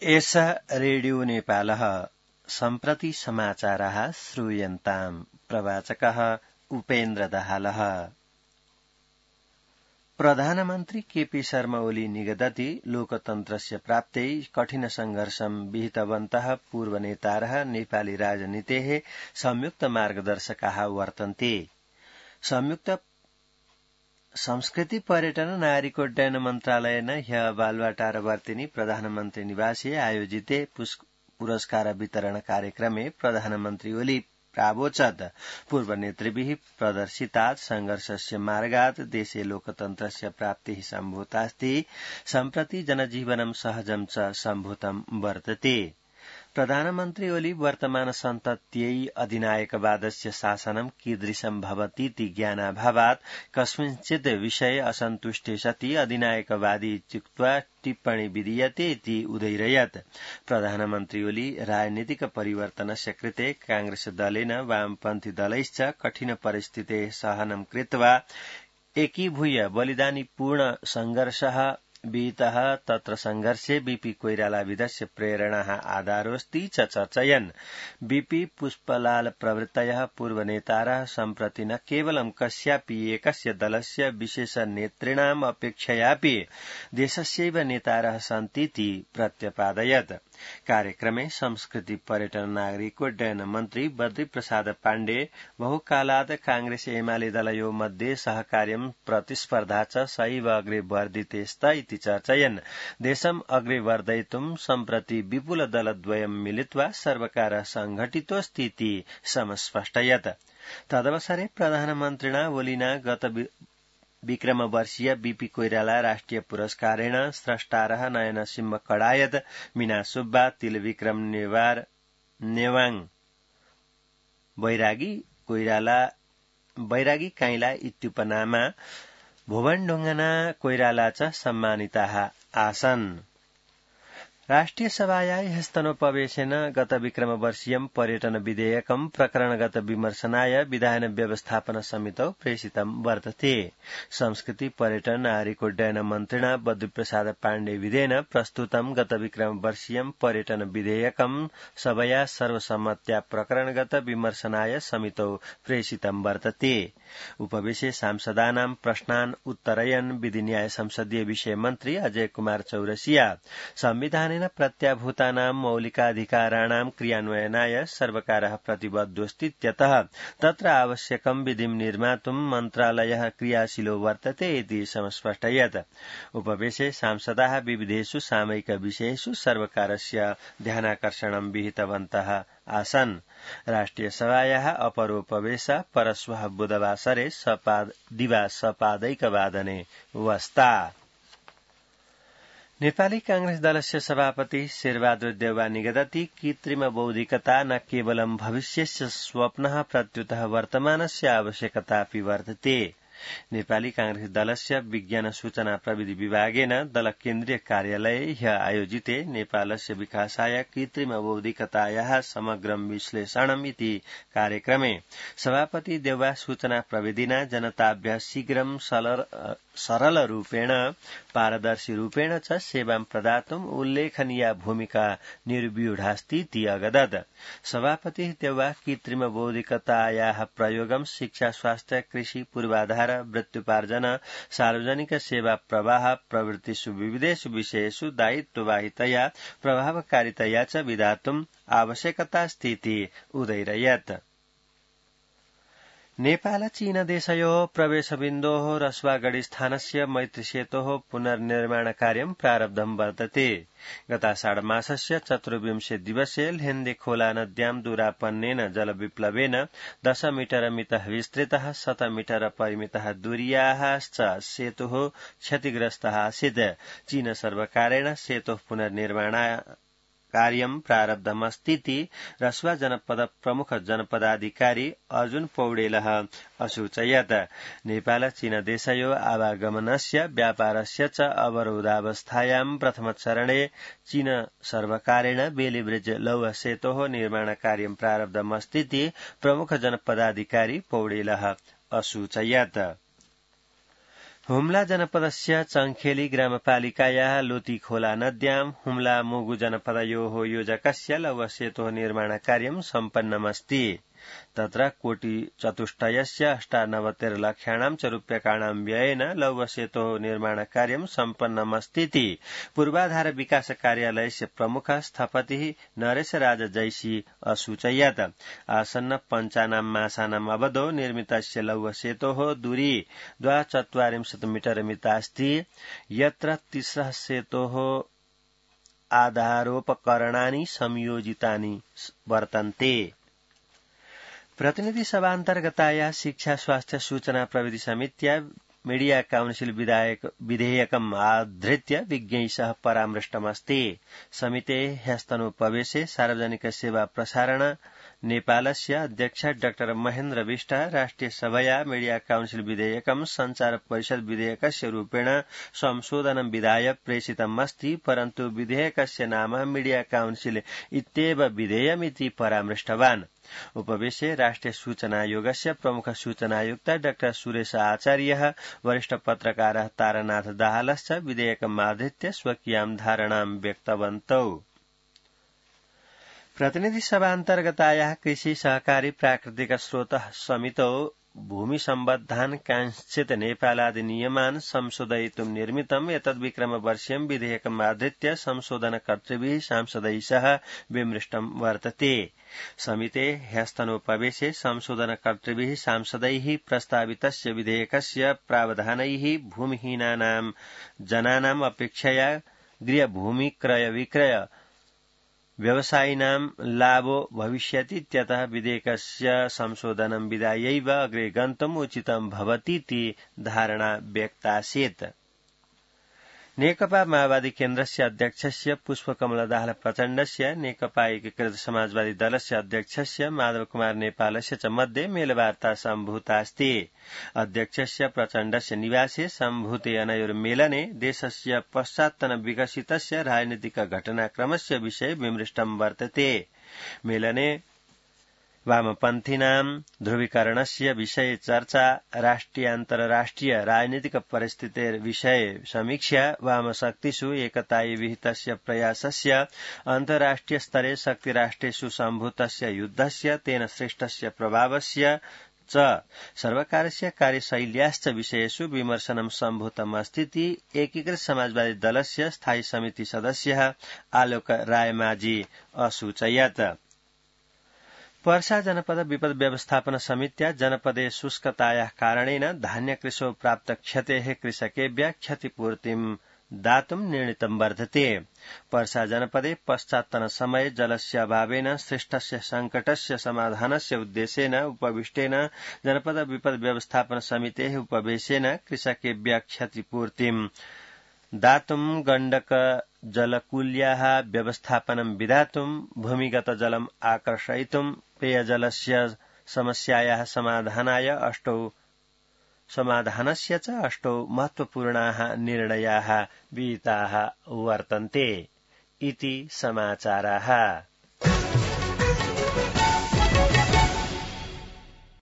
एषः रेडियो नेपालः सम्प्रति समाचारः श्रूयन्ताम्। प्रवाचकः उपेन्द्र दाहालः। प्रधानमन्त्री केपी शर्मा ओली निगदति लोकतन्त्रस्य प्राप्त्यै कठिन संघर्षं विहितवन्तः पूर्वनेतारः नेपाली राजनीतेः संयुक्त मार्गदर्शकाः वर्तन्ते। संयुक्त संस्कृति पर्यटन नागरिकोड्डयन मन्त्रालयेन ह्य बालुवाटारवर्तिनी प्रधानमन्त्री निवासे आयोजिते पुरस्कार वितरण कार्यक्रमे प्रधानमन्त्री ओली प्रावोचत् पूर्वनेतृभिः प्रदर्शितात् संघर्षस्य मार्गात् देशे लोकतन्त्रस्य प्राप्तिः सम्भूतास्ति। सम्प्रति जनजीवनं सहजं च सम्भूतं वर्तते। प्रधानमन्त्री ओली वर्तमान सन्तत्यै अधिनायकवादस्य शासनं कीदृशं भवतीति ज्ञानाभावात् कस्मिंश्चित् विषये असन्तुष्टे सति अधिनायकवादी इत्युक्त्वा टिप्पणी विधीयते इति उदैरयत्। प्रधानमन्त्री ओली राजनीतिक परिवर्तनस्य कृते कांग्रेस दलेन वामपन्थी दलैश्च कठिन परिस्थितेः सहनं कृत्वा एकीभूय बलिदानीपूर्ण संघर्षः विहितः। तत्र संघर्षे बीपी कोइरालाविदस्य प्रेरणाः आधारोऽस्ति च चर्चयन्। बीपी पुष्पलाल प्रभृतयः पूर्वनेतारः सम्प्रति न केवलं कस्यापि एकस्य दलस्य विशेष नेतॄणाम् अपेक्षयापि देशस्यैव नेतारः सन्तीति प्रत्यपादयत्। कार्यक्रमे संस्कृति पर्यटन नागरिकोड्डयन मन्त्री बद्रीप्रसाद पाण्डे बहुकालात् कांग्रेस एमाले दलयो मध्ये सहकार्यं प्रतिस्पर्धा च सैव अग्रे वर्धिते स्त इति चर्चयन्। देशम् अग्रे वर्धयितुं सम्प्रति विपुल दलद्वयं मिलित्वा सर्वकारः संघटितोऽस्ति इति समस्पष्टयत्। तदवसरे प्रधानमन्त्रिणा ओलिना गत विक्रमवर्षीय बीपी कोइराला राष्ट्रिय पुरस्कारेण स्रष्टारः नयन सिंह कडायत, मीना सुब्बा, तिलविक्रम नेवाङ बैरागी काइला इत्युपनामा भुवन ढुङ्गाना कोइराला च सम्मानिताः आसन्। राष्ट्रिय सभायाः ह्यस्तनोपवेशेन गत विक्रमवर्षीयं पर्यटन विधेयकं प्रकरणगत विमर्शनाय विधान व्यवस्थापन समितौ प्रेषितं वर्तते। संस्कृति पर्यटन नागरिकोड्डयन मन्त्रिणा बद्रीप्रसाद पाण्डेविधेन प्रस्तुतं गत विक्रमवर्षीयं पर्यटन विधेयकं सभया सर्वसम्मत्या प्रकरणगत विमर्शनाय समितौ प्रेषितं वर्तते। उपवेशे सांसदानां प्रश्नान् उत्तरयन् विधि न्याय संसदीय विषय मन्त्री अजय कुमार चौरसिया संविधानेन प्रत्याभूतानां मौलिकाधिकाराणां क्रियान्वयनाय सर्वकारः प्रतिबद्धोऽस्तीत्यतः तत्र आवश्यकं विधिं निर्मातुं मन्त्रालयः क्रियाशीलो वर्तते इति समस्पष्टयत्। उपवेशे सांसदाः विविधेषु सामयिक विषयेषु सर्वकारस्य ध्यानाकर्षणं विहितवन्तः आसन्। राष्ट्रिय सभायाः अपरोपवेशः परश्वः बुधवासरे दिवा सपादैकवादने वस्ता। नेपाली कांग्रेस दलस्य सभापति शेरबहादुर देउवा निगदति कृत्रिम बौद्धिकता न केवलं भविष्यस्य स्वप्नः प्रत्युतः वर्तमानस्य आवश्यकतापि वर्तते। नेपाली कांग्रेस दलस्य विज्ञान सूचना प्रविधि विभागेन दल केन्द्रीय कार्यालये ह्य आयोजिते नेपालस्य विकासाय कृत्रिम बौद्धिकतायाः समग्रं विश्लेषणम् इति कार्यक्रमे सभापति देउवा सूचना प्रविधिना जनताभ्यः शीघ्रं सरल रूपेण पारदर्शी रूपेण च सेवां प्रदातुम् उल्लेखनीया भूमिका निर्व्यूढास्ति इति अगदत्। सभापति देउवा कृत्रिम बौद्धिकतायाः प्रयोगं शिक्षा, स्वास्थ्य, कृषि, पूर्वाधार, वृत्त्युपार्जन, सार्वजनिक सेवा प्रवाह प्रभृतिषु विविधेषु विषयेषु दायित्ववाहितया प्रभावकारितया च विधातुम् आवश्यकतास्ति इति उदैरयत्। नेपाल चीन देशयोः प्रवेशबिन्दोः रसुवागढी मैत्रीसेतोः पुनर्निर्माणकार्यं प्रारब्धं वर्तते। गताषाढमासस्य 24 दिवसे ल्हेन्दे खोला नद्यां दूरापन्नेन जलविप्लवेन 10 मीटर मितः विस्तृतः 100 मीटर परिमितः दूरीयाश्च सेतुः क्षतिग्रस्तः आसीत्। चीन सर्वकारेण सेतोः पुनर्निर्माणाय कार्यं प्रारब्धमस्तीति रसुवा जनपद प्रमुख जनपदाधिकारी अर्जुन पौडेलः असूचयत्। नेपाल चीन देशयो आवागमनस्य व्यापारस्य च अवरोधावस्थायां प्रथमचरणे चीन सर्वकारेण बेली ब्रिज लौह सेतोः निर्माणकार्यं प्रारब्धमस्तीति प्रमुख जनपदाधिकारी पौडेलः असूचयत्। हुम्ला जनपदस्य चङ्खेली ग्रामपालिकायाः लोतीखोला नद्यां हुम्ला मुगु जनपदयोः योजकस्य लौहसेतोः निर्माणकार्यं सम्पन्नमस्ति। तत्र कोटिचतुष्टयस्य 98 लक्षाणां च रूप्यकाणां व्ययेन लौहसेतोः निर्माणकार्यं सम्पन्नमस्तीति पूर्वाधार विकास कार्यालयस्य प्रमुख स्थपतिः नरेशराज जैसी असूचयत्। आसन्न पञ्चानां मासानाम् अवधौ निर्मितस्य लौहसेतोः दूरी 240 मीटर मितास्ति। यत्र तिस्रः सेतोः आधारोपकरणानि संयोजितानि वर्तन्ते। प्रतिनिधि सभान्तर्गताया शिक्षा स्वास्थ्य सूचना प्रविधि समित्या मीडिया काउन्सिल विधेयकम् आधृत्य विज्ञैः परामृष्टमस्ति। समिते ह्यस्तनोपवेशे सार्वजनिक सेवा प्रसारण नेपालस्य अध्यक्ष डाक्टर महेन्द्र विष्ट राष्ट्रिय सभया मीडिया काउन्सिल विधेयकम् संचार परिषद विधेयकस्य रूपेण संशोधनं विधाय प्रेषितमस्ति, परन्तु विधेयकस्य नाम मीडिया काउन्सिल इत्येव विधेयमिति परामृष्टवान्। उपवेशे राष्ट्रिय सूचनायोगस्य प्रमुख सूचनायुक्त डाक्टर सुरेश आचार्यः वरिष्ठ पत्रकारः तारानाथ दाहालश्च विधेयकमाधृत्य स्वकीयां धारणां व्यक्तवन्तौ। प्रतिनिधि सभान्तर्गतायाः कृषि सहकारी प्राकृतिक स्रोत समितौ भूमि सम्बद्धान् कांश्चित् नेपालादिनियमान् संशोधयितुं निर्मितम् एतद्विक्रमवर्षीयं विधेयकमाधृत्य संशोधनकर्तृभिः सांसदैः सह विमृष्टं वर्तते। समिते ह्यस्तनोपवेशे संशोधनकर्तृभिः सांसदैः प्रस्तावितस्य विधेयकस्य प्रावधानैः भूमिहीनानां जनानाम् अपेक्षया गृहभूमि क्रय विक्रय व्यवसायिनां लाभो भविष्यति इत्यतः विधेयकस्य संशोधनं विधायैव अग्रे गन्तुम् उचितं भवतीति धारणा व्यक्तासीत्। नेकपा माओवादी केन्द्रस्य अध्यक्षस्य पुष्पकमल दाहाल प्रचण्डस्य नेकपा एकीकृत समाजवादी दलस्य अध्यक्षस्य माधव कुमार नेपालस्य च मध्ये मेलवार्ता सम्भूतास्ति। अध्यक्षस्य प्रचण्डस्य निवासे सम्भूते अनयोर्मेलने देशस्य पश्चात्तन विकसितस्य राजनीतिक घटनाक्रमस्य विषये विमृष्टं वर्तते। मेलने वामपन्थीनां ध्रुवीकरणस्य विषये चर्चा, राष्ट्रियान्तर्राष्ट्रिय राजनीतिक परिस्थितेर्विषये समीक्षा, वामशक्तिषु एकतायै विहितस्य प्रयासस्य, अन्ताराष्ट्रिय स्तरे शक्तिराष्ट्रेषु सम्भूतस्य युद्धस्य तेन सृष्टस्य प्रभावस्य च सर्वकारस्य कार्यशैल्याश्च विषयेषु विमर्शनं सम्भूतमस्तीति एकीकृत समाजवादी दलस्य स्थायी समिति सदस्यः आलोक रायमाझी असूचयत्। पर्सा जनपद विपद व्यवस्थापन समित्या जनपदे शुष्कतायाः कारणेन धान्यकृषौ प्राप्त क्षतेः कृषकेभ्यः क्षतिपूर्तिं दातुं निर्णीतं वर्तते। पर्सा जनपदे पश्चात्तन समये जलस्य अभावेन सृष्टस्य संकटस्य समाधानस्य उद्देश्येन उपविष्टेन जनपद विपद व्यवस्थापन समितेः उपवेशेन कृषकेभ्यः क्षतिपूर्तिं दातुं गण्डक जलकुल्याः व्यवस्थापनं विधातुं भूमिगत जलम् आकर्षयितुं पेयजलस्य समस्यायाः समाधानस्य च अष्टौ महत्वपूर्णाः निर्णयाः विहिताः वर्तन्ते इति समाचाराः।